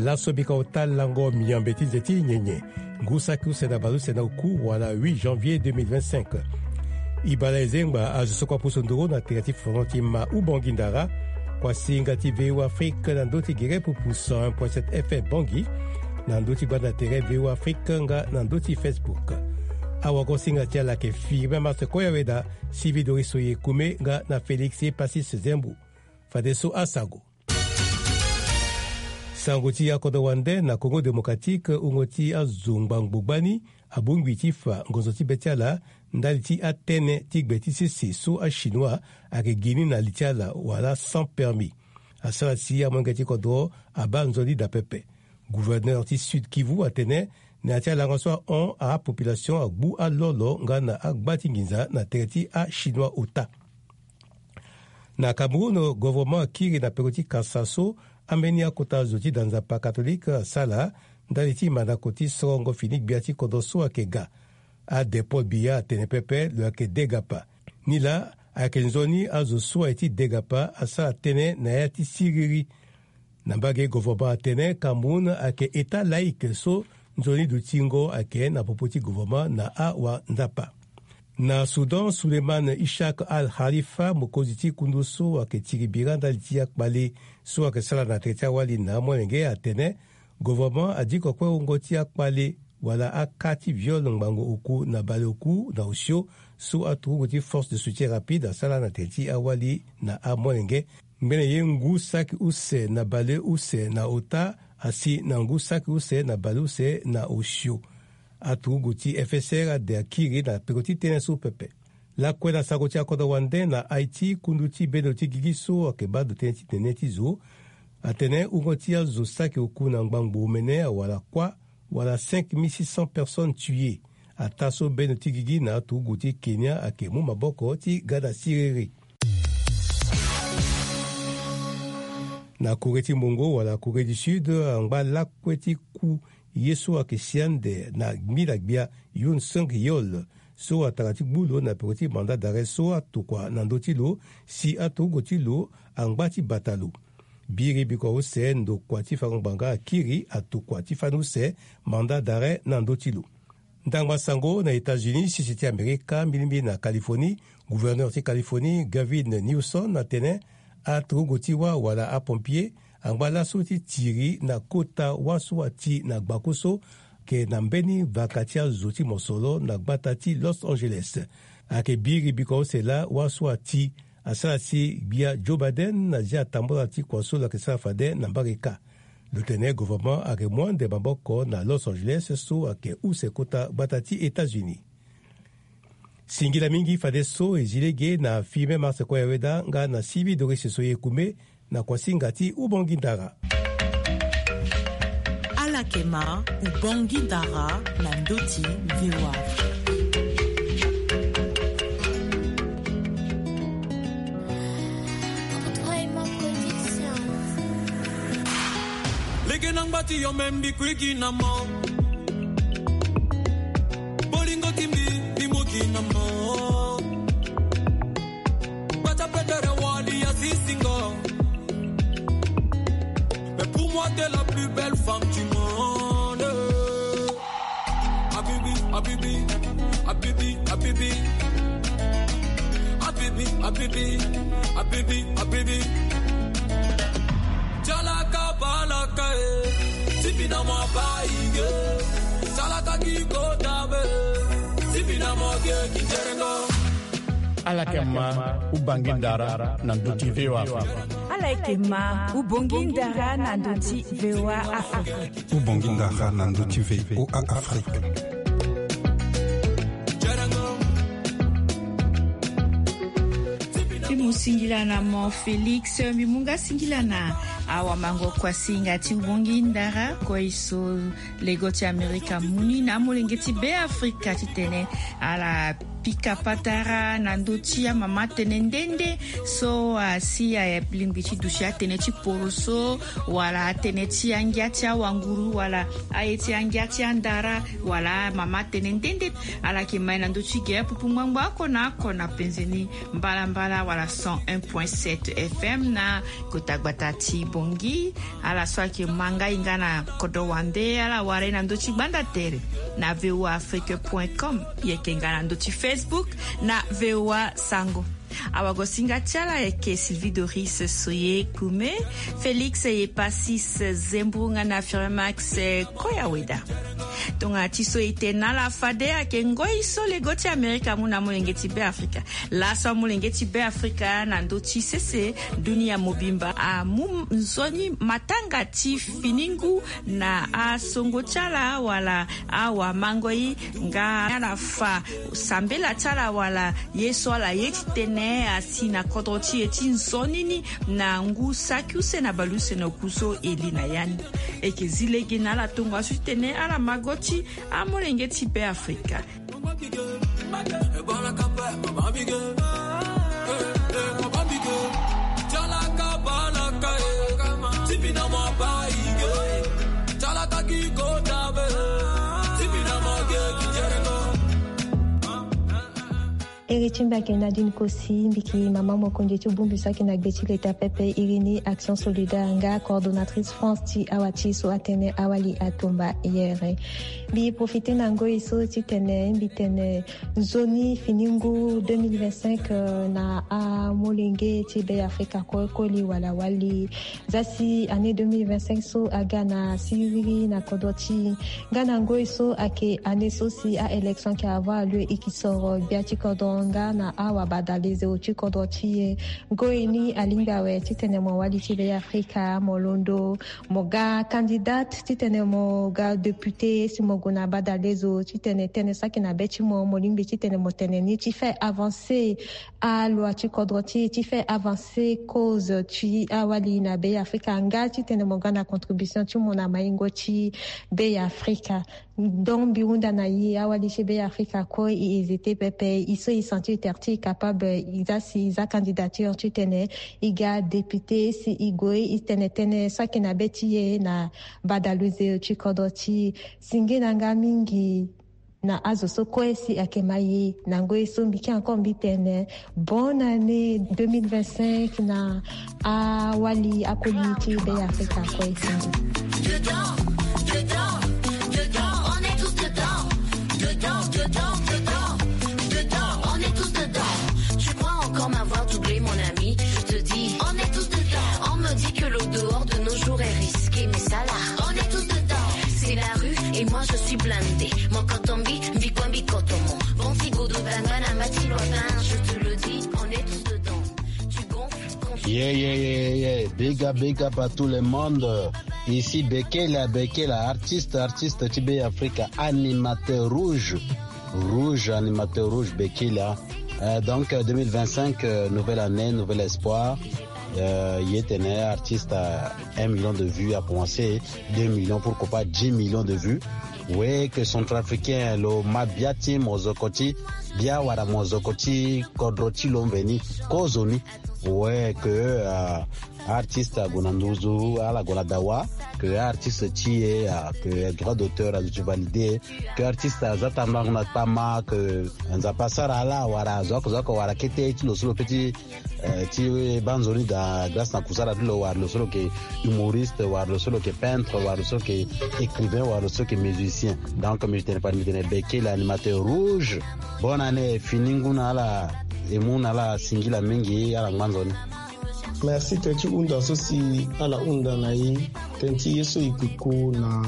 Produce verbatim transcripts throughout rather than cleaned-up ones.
Laso bika ota lango miambe ti nze ti nyenye, ngu saki use na baleuse na oku wala huit janvier deux mille vingt-cinq. Ibala ezengba azo so kua pusu nduru na tere ti fono ti ma Ubangui Ndara, kuasinga ti V O Afrique na ndö ti gere pupu cent un point sept F M Bangui, na ndö ti gbanda tere V O Afrique nga na ndö ti Facebook. Awagosinga ti ala ayeke Firmin Martin Koyaweda, Sylvie Doris Oyekume nga na Félix Epasis Zembu. Fadeso asango. Sango ti akodro wande na Congo Démocratique, wungo ti azo ngbangbo gbani abongbi ti fa ngonzo ti be ti ala ndali ti atënë ti gbe ti sese so achinois ayeke gi ni na li ti ala wala sans permis. Asara si amolenge ti kodro abaa nzoni daa pepe. Gouverneur ti Sud Kivu atene na ya ti alanga so ahon apopulation agbu alolo nga na agba ti nginza na tere ti achinois ota. Na Cameroun, gouvernement akiri na peko ti kasa so ambeni akota zo ti da nzapa katolike asara ndali ti mandako ti sorongo fini gbia ti kodro so ayeke ga. Ade Paul Biya atene pepe lo yeke degapa. Nilaa ayeke nzoni azo so aye ti degapa asara tënë na ya ti siriri. Na mbage gouvernement atene Cameroun ayeke État laïque so nzoni dutingo ayeke na popo ti gouvernement na awanzapa. Na Soudan, Suleiman Ishak Al Khalifa, mokonzi ti kundu so ayeke tiri bira ndali ti akpale so ayeke sara na tere ti awali na amolenge atene gouvernement adiko kue wungo ti akpale wala aka ti viol ngbangbo oku na baleoku na osio so aturugu ti force de soutien rapide asara na tere ti awali na amolenge. Ngbene ye ngu saki use na baleuse na ota asi na ngu saki use na baleuse na osio. Aturugu ti F S R ade akiri na peko ti tënë so pepe. Lakue na sango ti akodro wande na Haïti, kundu ti bendo ti gigi so ayeke baa ndo tënë ti nene ti zo atene wungo ti azo saki oku na ngbangbo omene awara kuâ wala cinq mille six cents personnes tuées. Ataa so bendo ti gigi na aturugu ti Kenya ayeke mu maboko ti ga na siriri. Na Corée ti Mungo wala Corée du Sud, angba lakue ti ku ye so ayeke si ande na ngbi na gbia Yoon Sung Yeol so atara ti gbu lo na peko ti mandat d'arrêt so atokua na ndö ti lo si aturugu ti lo angba ti bata lo. Biri bikua use ndokua ti fango ngbanga akiri atokua ti fani use mandat d'arrêt na ndö ti lo. Ndangba sango na États-Unis, sese ti Amerika, mbilimbili na Californie, gouverneur ti Californie, Gavin Newsom, atene aturugu ti wâ wala apompier angba laso ti tiri na kota wâ so ati na gbaku so, ke na mbeni vaka ti azo ti mosoro na gbata ti Los Angeles. Ayeke biri bikua use laa wâ so ati asara si gbia Joe Biden azia tambula ti kua so lo yeke sara fade na mbage kâ. Lo tene gouvernement ayeke mu ande maboko na Los Angeles so ayeke use kota gbata ti États-Unis. Singila mingi fadeso e zi lege na Firmin Martin Koyaweda nga na Sylvie Doris Soyekume na kuasinga ti Ubongi Ndara. Ala yeke ma Ubongi Ndara na ndö ti V O A Afrique. Lege na ngba ti yo me mbi kuigi na mo. Bolingo ti mbi mbi mu gi na mo. Gbata petere wali ya sisingo. Mais pour moi t'es la plus belle femme du monde. Habibi, habibi, habibi, habibi. Habibi, habibi, habibi, habibi. Jalaka balaka eh. Sibina mo baige. Jalaka gi kota be. Sibina mo ge gi jerengo. Ala yeke ma Ubongi Ndara na ndö ti V O A Afrique. Ala yeke ma Ubongi Ndara na ndö ti V O A Afrique. Ubongi Ndara na ndö ti V O A Afrique. Mbi mu singila na mo Félix, mbi mu nga singila na awamango kuasinga ti Ubongi Ndara, kue so lego ti Amerika mu ni na amolenge ti Beafrika titene ala Pika patara na ndö ti amama tënë nde nde so asi alingbi ti duti atënë ti poroso, wala atënë ti angia ti awanguru, wala aye ti angia ti andara, wala amama tënë nde nde. Ala yeke ma e na ndö ti ge apupu ngbangbo oko na oko na penze ni, mbalambala wala cent un point sept F M na kota gbata ti Bangui. Ala so ayeke ma ngai nga na kodro wande, ala wara e na ndö ti gbanda tere na V O A Afrique point com. E yeke nga na ndö ti Facebook na V O A Sango. Awagosinga ti ala ayeke Sylvie Doris Soye Kume, Félix Epasis Zembourou nga na Firmin Max Koyaweda. Tongana ti so e tene na ala fade, ayeke ngoi so lego ti Amerika amu na amolenge ti Be Afrika. Laso amolenge ti Be Afrika na ndö ti sese dunia mobimba amu nzoni matanga ti fini ngu na asongo ti ala wala awamangoi, nga ala fa sambela ti ala wala ye so ala ye ti tene asi na kodro ti e ti nzoni ni na ngu saki use na baleuse na oku so e li na ya ni. E yeke zi lege na ala tongaso ti tene ala mago ti amolenge ti Be Afrika. Iri ti mbi ayeke Nadine Kosi, mbi yeke mama mokonzi ti bongbi so ayeke na gbe ti leta pepe, iri ni Action Solidaire, nga coordonnatrice France ti awa ti so atene awali atumba yere. Mbi profite na ngoi so ti tene mbi tene nzoni fini ngu deux mille vingt-cinq, euh, na amolenge ti Be Afrika kue koli wala wali. Za si année deux mille vingt-cinq so aga na siriri na kodro ti e. Nga na ngoi so ayeke année so si a-élection ayeke avoir lieu, e yeke soro gbia ti kodro nga na awabadale zeo ti kodro ti e. Ngoi ni alingbi awe titene mo wali ti Be Afrika, mo londo mo ga candidate titene mo ga député, si mo gue na badale zo titene tënë so ayeke na be ti mo, mo lingbi titene mo tene ni ti fait avancer aloi ti kodro ti e, ti fait avancer cause ti awali na Be Afrika, nga titene mo ga na contribution ti mo na maingo ti Be Afrika. Donc mbi hunda na e, awali ti Be Afrika kue, e hésite pepe, e so e sentir terre ti e capable, e za si e za candidature titene e ga député, si e gue e tene tënë so ayeke na be ti e na badale zo ti kodro ti e. Si nge na nga mingi na azo so kue si ayeke ma e na ngoi so mbi yeke encore mbi tene bonne année deux mille vingt-cinq na awali akoli ti Be Afrika kue. Singi. Dedans, dedans, dedans, on est tous dedans. Dedans, dedans, dedans, dedans, on est tous dedans. Tu crois encore m'avoir doublé, mon ami ? Je te dis, on est tous dedans. On me dit que le dehors de nos jours est risqué, mais ça là, on est tous dedans. C'est la rue et moi je suis blindé. Mon kotombi, mbi kwambi kotomo. Bon, si goudou tanga na mati loin, je te le dis, on est tous dedans. Tu gonfles, confie. Yeah, yeah, yeah, yeah. Big up, big up à tout le monde. Ici Bekela, Bekela, artiste, artiste ti Be Afrika, animateur rouge. Rouge, animateur rouge, Bekila. Euh, donc, euh, deux mille vingt-cinq, euh, nouvelle année, nouvel espoir. Euh, ye tene artiste à un million de vues a commencé, deux millions, pourquoi pas dix millions de vues. Ouais, que centrafricain, lo ma bia ti mozoko ti bia wala mozoko ti kodro ti lo mveni, kozo ni. Ouais, que, euh, artiste ague na nduzu, ala gue na dawa, que artiste ti e, euh, que droit d'auteur azo ti validé, que artiste aza tambula na kpama, que Nzapa asara ala wala azo oko azo oko wala kete ti lo so lo pe ti, euh, ti baa nzoni daa grâce na kusala ti lo, wala lo so lo yeke humoriste, wala lo so lo yeke peintre, wala lo so lo yeke écrivain, wala lo so lo yeke musicien. Donc mbi tene pa mbi tene Bekela, animateur rouge. Bonne année, fini ngu na ala, e mu na ala singila mingi, ala ngba nzoni. Merci. Tënë ti hunda so si ala hunda na e, tënë ti ye so e koko na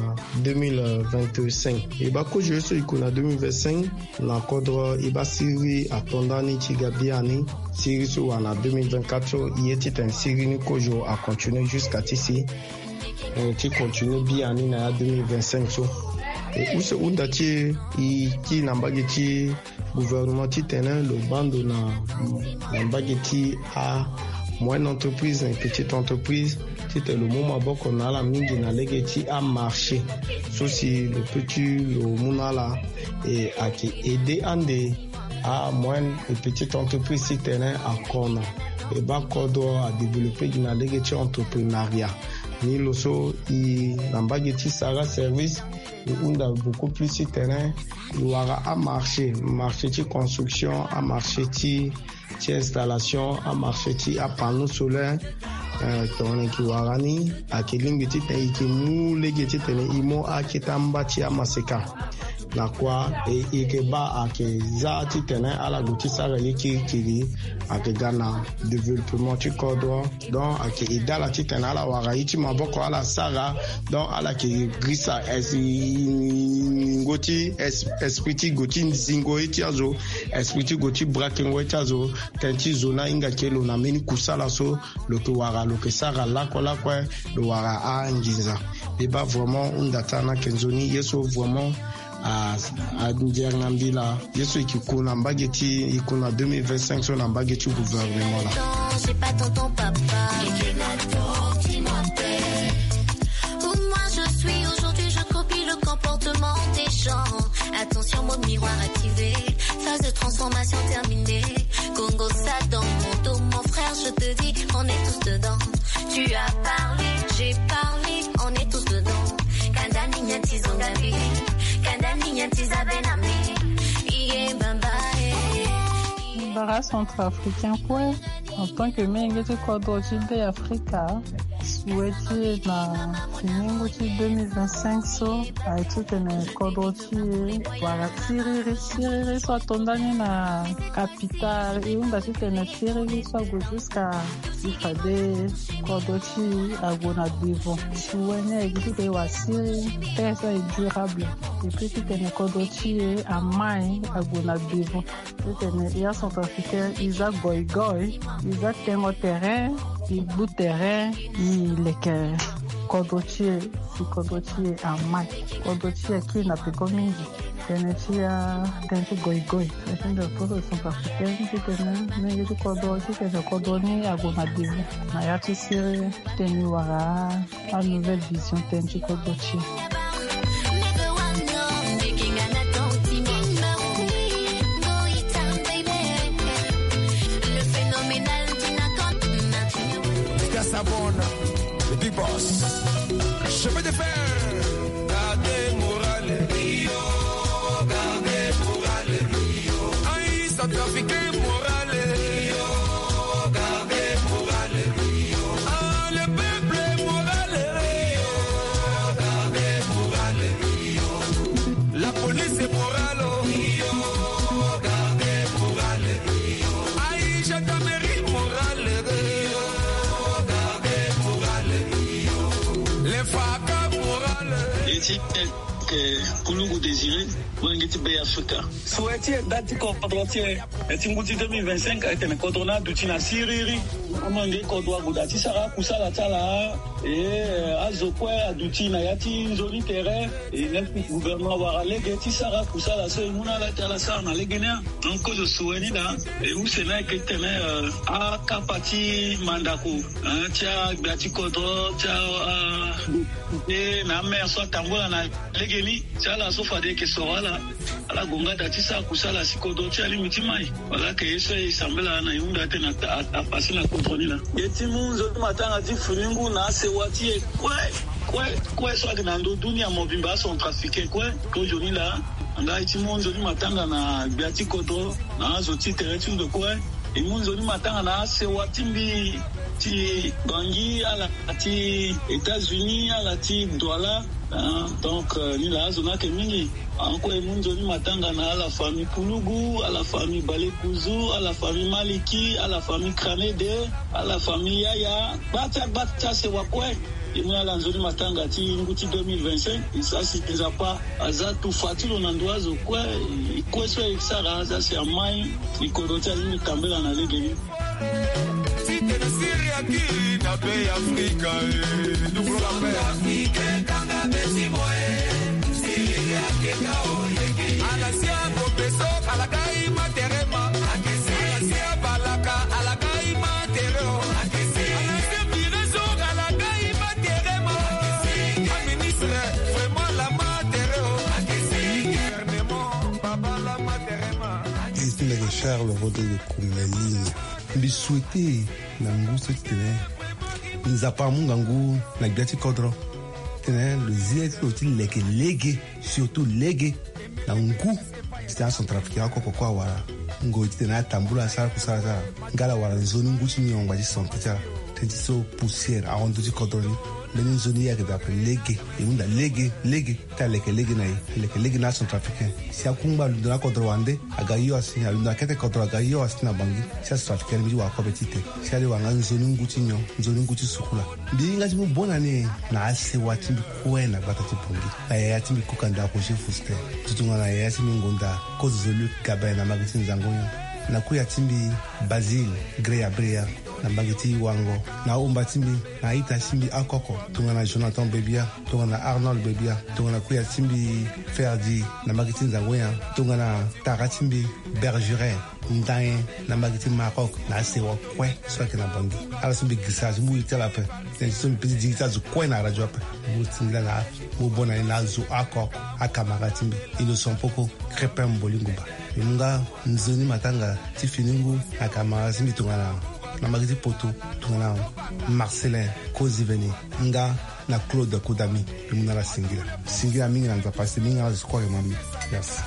deux mille vingt-cinq. E baa kozo ye so e koko na deux mille vingt-cinq, na kodro e baa siriri ato ndani ti ga biani. Siriri so wara na deux mille vingt-quatre so, e ye titene siriri ni kozo a continuer jusqu'à ti si, eh, ti continuer biani na ya deux mille vingt-cinq so. E use hunda ti e, e kiri na mbage ti gouvernement titene lo baa ndo na, na mbage ti amoyenne entreprise na petite entreprise, titene lo mu maboko na ala mingi na lege ti amarché so si lo pe ti lo mu na ala, e ayeke aider ande amoyenne et petite entreprise ti tene akona. E baa kodro adéveloppé gi na lege ti entreprenariat. Ni lo so e na mbage ti sara service, e hunda beaucoup plus ti tene e wara amarché, marché ti construction, amarché ti ti installation, amarché ti apanneau solaire. Tongana e ke wara ni, ayeke lingbi titene e ke mu lege titene e mu akete amba ti amaseka. Na kua e yeke baa ayeke za titene ala gue ti sara ye kirikiri, ayeke ga na développement ti kodro. Donc ayeke e dala titene ala wara ye ti maboko ala sara. Donc ala yeke girisa es- ningo ti es- esprit ti gue ti zingo ye ti azo, esprit ti gue ti brakengo ye ti azo. Tënë ti zo ni ahinga ke lo na mbeni kusala so lo ke wara, lo ke sara lakue lakue, lo wara anginza. Mbi baa vraiment hunda ti ala ni ayeke nzoni ye so vraiment a- andianga mbila. Ye so e ke ku na mbage ti e ku na deux mille vingt-cinq so na mbage ti gouvernement la. J'ai pas ton ton papa. Pour moi, je suis aujourd'hui, je copie le comportement des gens. Attention, mode miroir activé. Phase de transformation terminée. Congo, ça dans mon dos, mon frère, je te dis, on est tous dedans. Tu as parlé, j'ai parlé, on est tous dedans. Kanda ni nyen ti zonga mbi, kanda ni nyen ti za bê na mbi. Iye bamba, eh. Bara centrafricain kue, en tant que menge ti kodro ti Be Afrika, souhait ti e na finingu ti deux mille vingt-cinq so, aye titene kodro ti e wara siriri. Siriri so ato ndani na capital, e hunda titene siriri so ague jusqu'à si fade kodro ti e ague na devant. Souhait ni aye gi titene e wara siriri, paix so aye durable. Et puis titene kodro ti e amai ague na devant. Titene ya centrafricain e za goigoi, e za tengo terrain, e gbu terrain, e leke kodro ti e, si kodro ti e amai. Kodro ti e akiri na peko mingi. Tënë ti a, tënë ti goigoi. Tënë ti goigoi, centrafricain titene menge ti kodro, titene kodro ni ague na devant na ya ti siriri. Titene e wara a nouvelle vision tënë ti kodro ti e. Sabona, le big boss. Chemin de fer, gardez moral. Rio, gardez moral. Aïe, centrafricain moral. Rio, gardez moral. Ah, le peuple est moral. Rio, gardez moral. La police est morale. Rio, gardez moral. Aïe, gendarmerie morale. Rio, gardez moral. Les faca morale. Eti, eh, Kulugu Désiré, wenge ti Be Afrika. Souhait ti e, da ti kodro ti e, eh, ti ngu ti deux mille vingt-cinq, eh, tene kodro ni aduti na siriri. Amolenge kodro ague daa ti sara akusala ti ala. E, eh, azo kue aduti na ya ti nzoni tere. E, neuf gouvernement awara lege ti sara akusala so e mu na ala ti ala sara na lege ni. Donc kozo souhait ni daa, e use ni ayeke titene, eh, akapa ti mandako, eh, ti agbia ti kodro, ti a, a, e, na amaire so atambula na legeni, ti ala so fade e yeke soro ala. Ala gue nga daa ti sara kusala si kodro ti e alingbi ti mai. Wala ayeke ye so e sambela na e hunda titene a, a, apase na kodro ni laa. E ti mu nzoni matanga ti fini ngu na asewa ti e kue, kue, kue so ayeke na ndo dunia mobimba, acentrafricain kue. Kozoni laa, nga e ti mu nzoni matanga na gbia ti kodro, na azo ti tere ti ndo kue. E mu nzoni matanga na asewa ti mbi ti Bangui, ala ti États-Unis, ala ti Douala. Ah, donc, euh, ni laa azo ni ayeke mingi. Encore e mu nzoni matanga na ala famille Kulugu, ala famille Balekuzu, ala famille Maliki, ala famille Kranede, ala famille Yaya. Gba ti agba ti asewa kue. E mu na ala nzoni matanga ti ngu ti deux mille vingt-cinq. E sara si Nzapa aza tufa ti lo na ndo azo kue. E kue so e sara aza si amai. E kodro ti alingbi tambela na legeni. Site na Siri akiri na Be Afrika, eh, double la paix. Africain kanga beti moe. Siri akeka o yeke. Alasia kopeso, alakai materema. Alasia balaka, alakai matere o. Alasia vireso, alakai materema. Ah, ministre, vraiment la matere o. Gouvernement, baba la materema. Christine Terre le Rodrigue Kumelin. Mbi souhaite na ngu so titene Nzapa amu ngangu na gbia ti kodro titene lo zi ye ti lo ti leke lege, surtout lege na ngu. Titene acentrafricain oko oko kue awara ngoi titene atambula asara kusala ti ala. Nga ala wara nzoni ngu ti nyongba ti santé ti ala. Tënë ti so poussière ahon ndö ti kodro ni. Mbeni nzoni ye ayeke daa ape lege, e hunda lege lege. Ti aleke lege na e, aleke lege na acentrafricain. Si akungba alundo na akodro wande, aga hio asi ni, alundo na kete kodro aga hio asi ni na Bangui. Si acentrafricain ni mbi ti wara kobe ti te. Si ala wara nga nzoni ngu ti nyon, nzoni ngu ti sukula. Mbi hinga ti mu bonne année na asewa ti mbi kue na gbata ti Bangui, na yaya ti mbi Kukanda Roger Faustin, tongana yaya ti mbi ngonda Kozozoluc Gabin na mbage ti Nzango-Nyon, na kuya ti mbi Basile Greya Breya na mbage ti Wango, na ahomba ti mbi na aita ti mbi akoko, tongana Jonathan Bebia, tongana Arnold Bebia, tongana kuya ti mbi Ferdi na mbage ti Nzango-Nyon, tongana tara ti mbi Bergeret Ndain na mbage ti Maroc, na asewa kue so ayeke na Bangui. Ala so mbi girisa azo, mbi iri ti ala ape. Tënë ti so mbi peut ti diri ti azo kue na radio ape. Mbi singila na, mbi bonne année na azo oko oko, akamara ti mbi Innocent Poko, Crépin Mboli Ngumba. Mbi mu nga nzoni matanga ti fini ngu na kamara ti mbi tongana na mbage ti Poto, tongana Marcelin Koziveni nga na Claude Kodami. Mbi mu na ala singila. Singila mingi na Nzapa si mingi na ala zo kue ayeke ma mbi. Merci.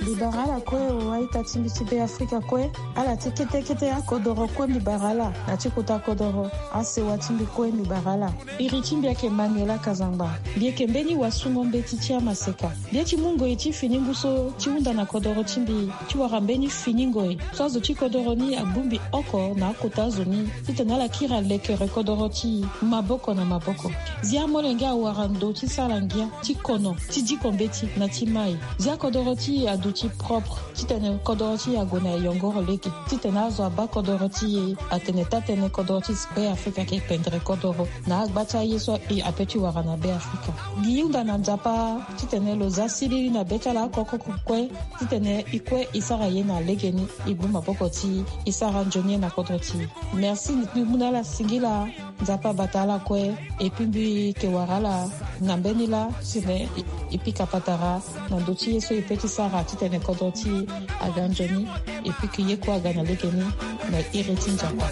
Mbi bara ala kue o, a-ita ti mbi ti Beafrika kue, ala ti kete kete akodoro kue mbi bara ala, na ti kota kodoro asewa ti mbi kue mbi bara ala. Iri ti mbi ayeke Manuela Kazangba. Mbi yeke mbeni wasungo mbeti ti amaseka. Mbi ye ti mu ngoi ti fini ngu so ti hunda na kodoro ti mbi ti wara mbeni fini ngoi so azo ti kodoro ni agbu mbi oko na akota azo ni, titene ala kiri alekere kodoro ti e maboko na maboko. Zia amolenge awara ndo ti sara ngia ti kono, ti diko mbeti na ti mai. Zia kodoro ti e aduti propre, titene kodoro ti e ague na yongoro lege, titene azo abaa kodoro ti e atene taa-tënë kodoro ti Beafrika ayeke pendere kodoro na agba ti aye so e ape ti wara na Beafrika. Mbi hunda na Nzapa titene lo za siriri na be ti ala oko oko kue, titene e kue e sara ye na legeni, e gbu maboko ti e, e sara nzoni ye na kodro ti e. Merci, mbi mu na ala singila, Nzapa abata ala kue. Et puis mbi yeke wara ala na mbeni laa, titene e, e pika patara na ndö ti ye so e peut ti sara titene kodro ti e aga nzoni, et puis que ye kue aga na legeni na iri ti Nzapa.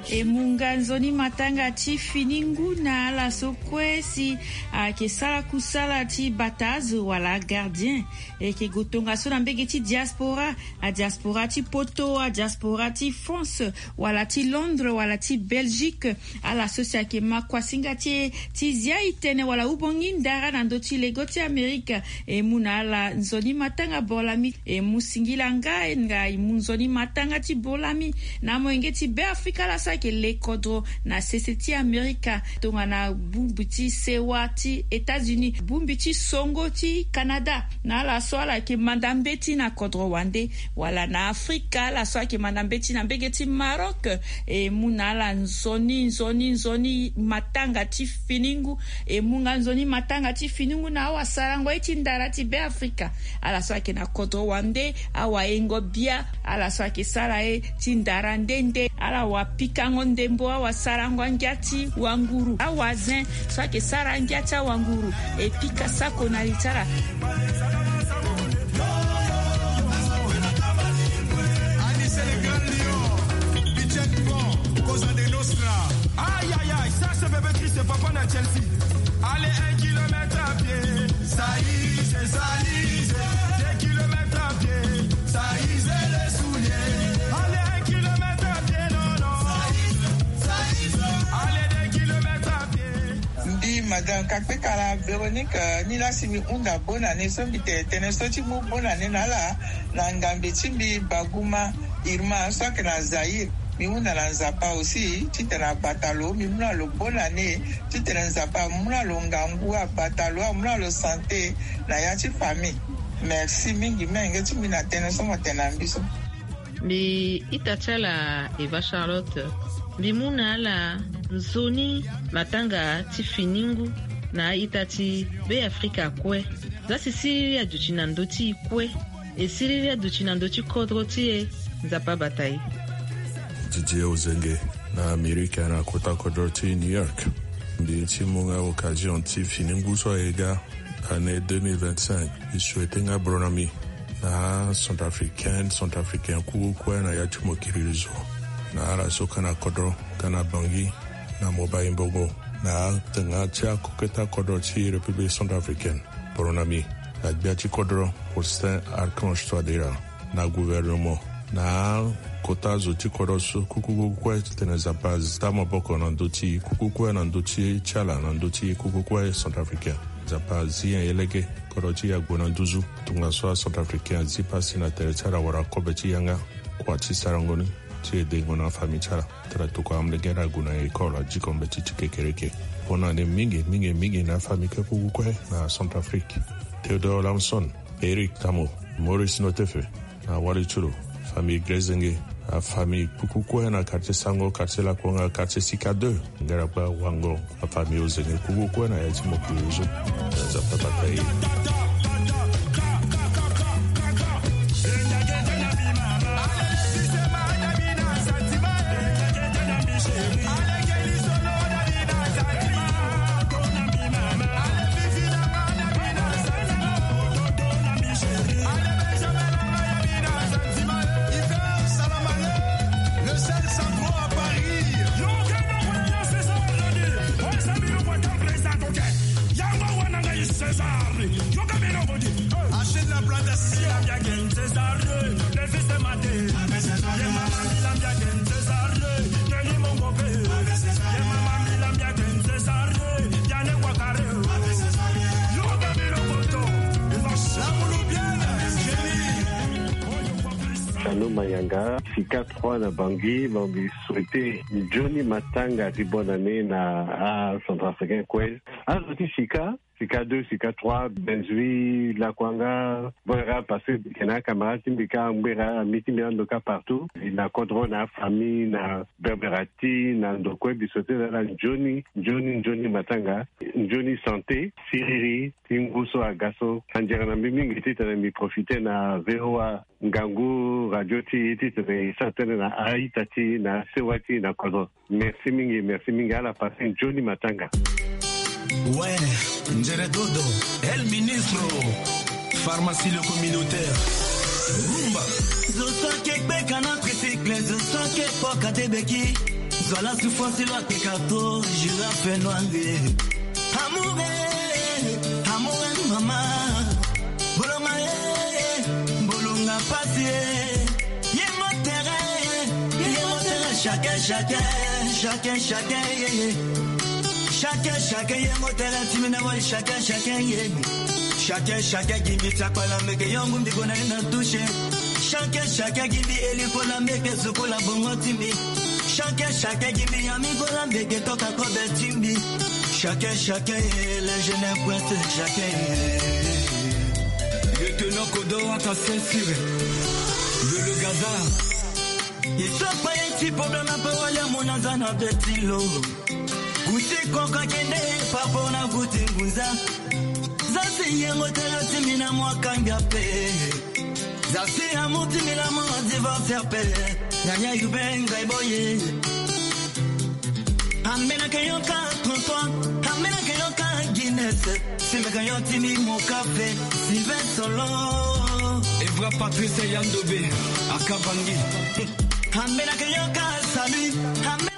E mu nga nzoni matanga ti fini ngu na ala so kue si ayeke sara kusala ti bata azo wala gardien. E yeke gue tongaso na mbege ti diaspora, adiaspora ti Poto, adiaspora ti France, wala ti Londres, wala ti Belgique. Ala so si ayeke ma kuasinga ti e ti zia e tene wala hubongi ndara na ndö ti lego ti Amerika, e mu na ala nzoni matanga bor lami. E mu singila nga, nga e mu nzoni matanga ti bor lami na amolenge ti Beafrika, ala so ayeke le kodro na sese ti Amerika, tongana bongbi ti sewa ti États-Unis, bongbi ti songo ti Canada, na ala so ala yeke manda mbeti na kodro wande, wala na Afrika, ala so ayeke manda mbeti na mbege ti Maroc. E mu na ala nzoni, nzoni, nzoni matanga ti fini ngu. E mu nga nzoni matanga ti fini ngu na awasarango ye ti ndara ti Beafrika, ala so ayeke na kodro wande, awayengo bia, ala so ayeke sara ye ti ndara nde nde, ala wapikango ndembo, awasarango angia ti wanguru, awazin so ayeke sara angia ti awanguru, e pika sako na li ti ala. Anise le grand lion, Bichette Pont, Cosa de Nostra. Aïe, aïe, aïe, ça, c'est bébé Chris, c'est papa na Chelsea. Allez, un kilomètre à pied, ça y est, ça y est. Deux kilomètres à pied, ça y est, les souliers. Allez, un kilomètre à pied, non, non. Allez, deux kilomètres à pied. Mbi, Madame Kakpekala Véronique, euh, ni la si mbi hunda bonne année so mbi tene tënë so ti mu bonne année na ala, na ngambe ti mbi Baguma Irma so ayeke na Zaïre. Mbi hunda na Nzapa aussi titene abata lo, mbi mu na lo bonne année, titene Nzapa amu na lo ngangu, abata lo, amu na lo santé na ya ti famille. Merci mingi, menge ti mbi na tënë so mo tene na mbi so. Mbi ita ti ala Eva Charlotte. Mbi mu na ala nzoni matanga ti fini ngu na a-ita ti Beafrika kue. Za si siriri aduti na ndö ti e kue, e siriri aduti na ndö ti kodro ti e. Nzapa abata e. Didier Ozenge na Amerika na kota kodro ti New York. Mbi ti mu nga occasion ti fini ngu so aye ga, année deux mille vingt-cinq. Mbi souhaite nga bro na mbi na acentrafricaine, centrafricain, kuku kue na ya ti mokili zo, na ala so ka na kodro, ka na Bangui, na Mobali Mbongo, na atanga ti akoketa kodro ti République centrafricaine. Bro na mbi, na gbia ti kodro Faustin Archange Touadéra, na gouvernement, na akota zo ti kodro so, kuku kue titene Nzapa azi maboko na ndö ti kuku kue na ndö ti ti ala, na ndö ti kuku kue centrafricain. Nzapa azi nyen? Ye lege, kodro ti e ague na nduzu. Tongaso acentrafricain azi pasi na tere ti ala wala kobe ti yanga, kua ti sarango ni ti edengo na afamille ti ala. Tara tokua amolenge na ague na école, adiko mbeti ti kekereke. Bonne année mingi, mingi, mingi na afamille kue kuku kue na Centrafrique. Théodore Lamson, Eric Tamo, Maurice Notefe, na Wali Turo, famille Grezenge, afamille kuku kue na quartier Sango, quartier Lakonga, quartier Sika deux, Ngeragba, Wango, afamille Ozenge kuku kue na ya ti mokili zo. Nzapa bata ye. Sano Mayanga, Sika trois na Bangui, Bangui souhaité Johnny Matanga ti bonne année na acentrafricain kue. Azo ti Sika, Sika deux, Sika trois, Benzui, Lakwanga, Boera, parce que kena camarade ti mbi ka Ngbera, ami ti mbi ando ka partout. Na kodro, na famille, na Berberati, na ndo kue, mbi souhaité na ala Johnny, Johnny, Johnny Matanga, Johnny santé, siriri, ti ngu so aga so. Andiara na mbi mingi titene mbi profité na V O A ngangu radio ti e titene e sara tënë na a-ita ti e na sewa ti e na kodro. Merci mingi, merci mingi. Ala passe Johnny Matanga. Ouais, Nzere Dodo, El Ministro, pharmacie le communautaire, Rumba. Zo so ake kpeka na tricycle, zo so ake kpoka te beki. Zo ala souffrance lo akpeka to, girafe noire. Amour, eh, amour, eh, mama. Bolonga, eh, bolonga pasi, eh. Ye motere, ye motere, chacun, chacun, chacun, chacun, yeah, yeah. Chacun, chacun, ye motere, ti mbi na wali, chacun, chacun, yeah. Chacun, chacun, gi mbi ti akpala meke, yongu mbi kona na touche. Chacun, chacun, gi mbi eli kola meke, sukola bongo ti mbi. Chacun, chacun, gi mbi ami kola meke, toka kobe ti mbi. Chacun, chacun, eh, les jeunes influenceurs, chacun, eh. Le tenant Kodo, Aka Sensire, le, le Gaza. Ils sont pas un petit problème, un peu, wala, mon azana, petit lo. Kuti koka kende, papo na kuti ngunza. Za si ye motere ti mbi na mwa kanga pe. Za si amour ti mbi na mwa divorce pe. Nyanya yube ngai boye. Amena ke yo ka trente-trois. Amena ke yo ka Guinness. Si meka yo ti mbi mo kafe. Sylvain Solo. Evra Patrice Yandobe. Aka Bangui. Amena ke yo ka salut. Amena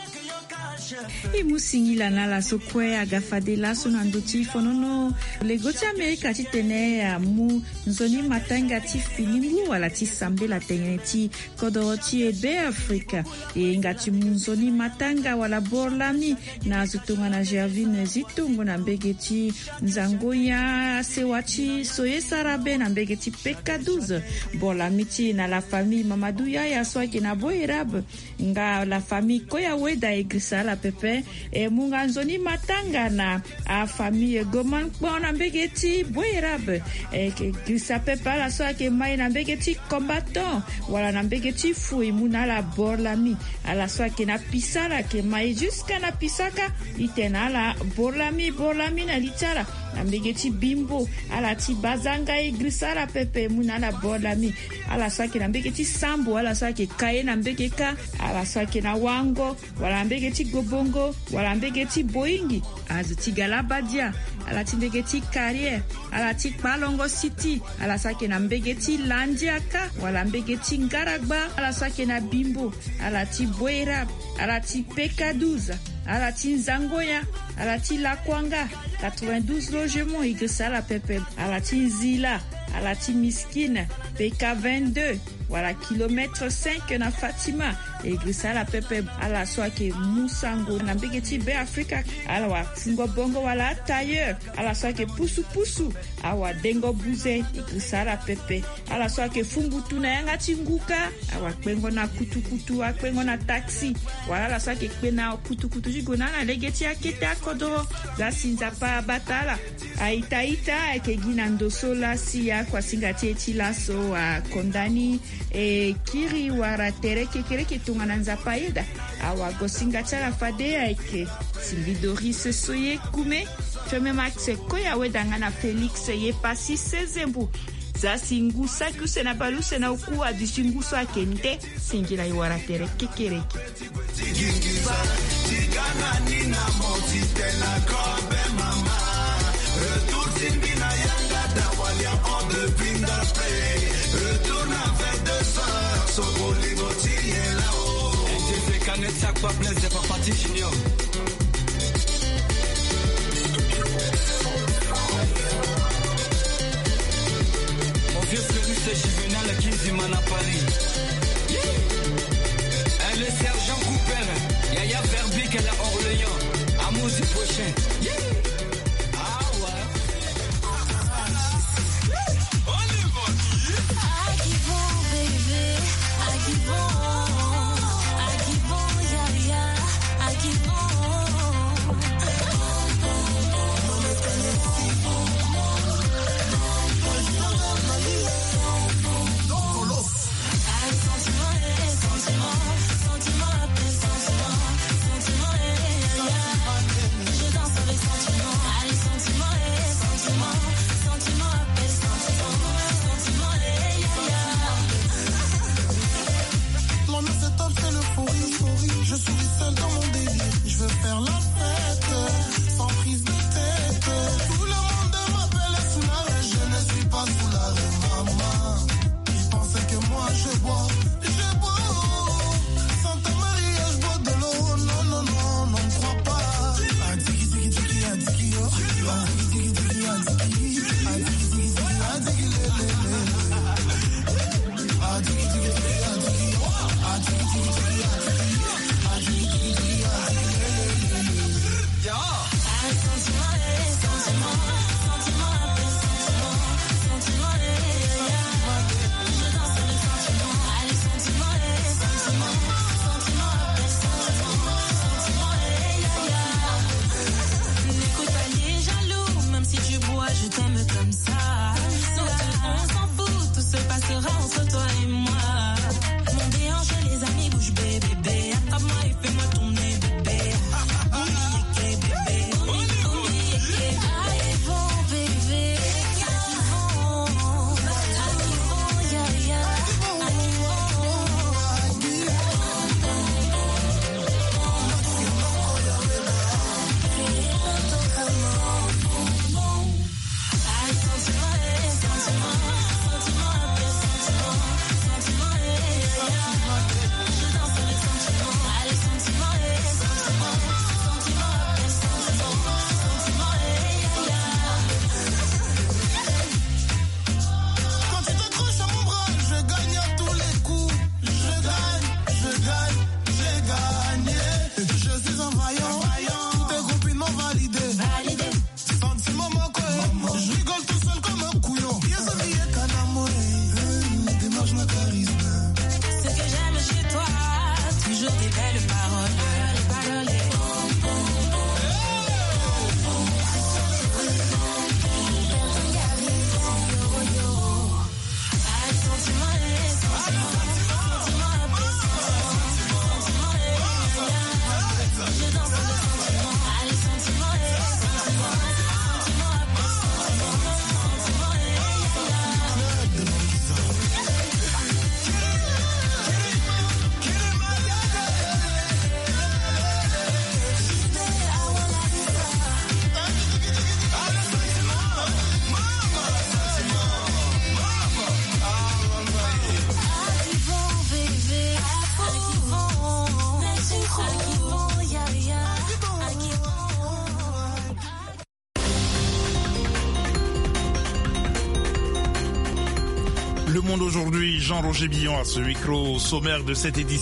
E mu singila na ala so kue aga fade laso na ndö ti fonono lego ti Amerika titene amu nzoni matanga ti fini ngu wala ti sambela tënë ti kodoro ti e Beafrika. E hinga ti mu nzoni matanga wala boro lami na azo tongana Gervine Zitongo na mbege ti Nzangoya, sewa ti so ye sara be na mbege ti P K douze. Boro lami ti e na la famille Mamadou Yaya so ayeke na Boerab. Nga la famille Koya Weda e girisa ala pepe. E mu nga nzoni matanga na afamille Goman Kpon na mbege ti Boerab. E yeke girisa pepe ala so ayeke mai na mbege ti Combattant wala na mbege ti Fou, e mu na ala boro lami. Ala so ayeke na Pisa, ala yeke mai jusqu'à na Pisaka. E tene na ala boro lami, boro lami na li ti ala. Na mbege ti bimbo, ala ti bazanga e girisa ala pepe mu na ala bord lami. Ala so ayeke na mbege ti sambo, ala so ayeke ka ye na mbege kâ. Ala so ayeke na wango, wala na mbege ti gobongo, wala na mbege ti boyingi. Azo ti galabadia, ala ti mbege ti carrière, ala ti kpalongo siti, ala so ayeke na mbege ti landia kâ, wala mbege ti ngaragba, ala so ayeke na bimbo, ala ti boirab, ala ti pekaduza, ala ti nzangoya, ala ti lakuanga, quatre-vingt-douze logement e girisa ala pepe. Ala ti nzila, ala ti miskine, peka vingt-deux, wala kilomètre cinq na fatima. E girisa ala pepe. Ala so ayeke mu sango na mbege ti be afrika, ala wa fungo bongo wala atailleur. Ala so ayeke pusupusu, awa dengo buze. E girisa ala pepe. Ala so ayeke fumbutu na yanga ti ngu kâ, awa kpengo na kutukutu, akpengo na taxi, wala ala so ayeke kpe na kutukutu ti gue na ala lege ti akete akodoro. Za si nzapa abata ala. Aita ita ayeke gi na ndo so lasi akuasinga ti e ti laso akonda ni. E kiri wala tere kekereke tongana nzapa ayeda. Awagosinga ti ala fade ayeke Sylvie Doris Soye Kume, Feme Max Koya Wedanga na Félix Yepasi Sezembo. Za si ngu saki use na bale use na oku aduti ngu so ayeke nde. Singila e wara tere kekereke. Mon vieux Félix Juvenal Kinzimana Paris. Yeah. Eh, le sergent Cooper, Yaya Verbic à la Orléans, Amour du prochain. Yeah. Ah ouais. L'ambiance est top, c'est l'euphorie. Je suis seul dans mon délire. Je veux faire la fête sans prise de tête. Tout le monde m'appelle Soulard. Je ne suis pas Soulard, maman. Ils pensaient que moi je bois, je bois. Sans ton mariage, bois de l'eau. Non, non, non, non, ne crois pas. Ah, tiki, tiki, tiki, ah, tiki, oh. Ah, tiki, tiki, tiki, ah, tiki. Ah, tiki, tiki, tiki, ah, tiki, lé, lé, lé. Ah, tiki, tiki, tiki, ah, tiki, oh. Ah, tiki, tiki, tiki, ah, tiki. Ah, tiki, tiki, tiki, ah, tiki, lé, lé, lé, lé. Monde aujourd'hui, Jean-Roger Billon à ce micro. Au sommaire de cette édition,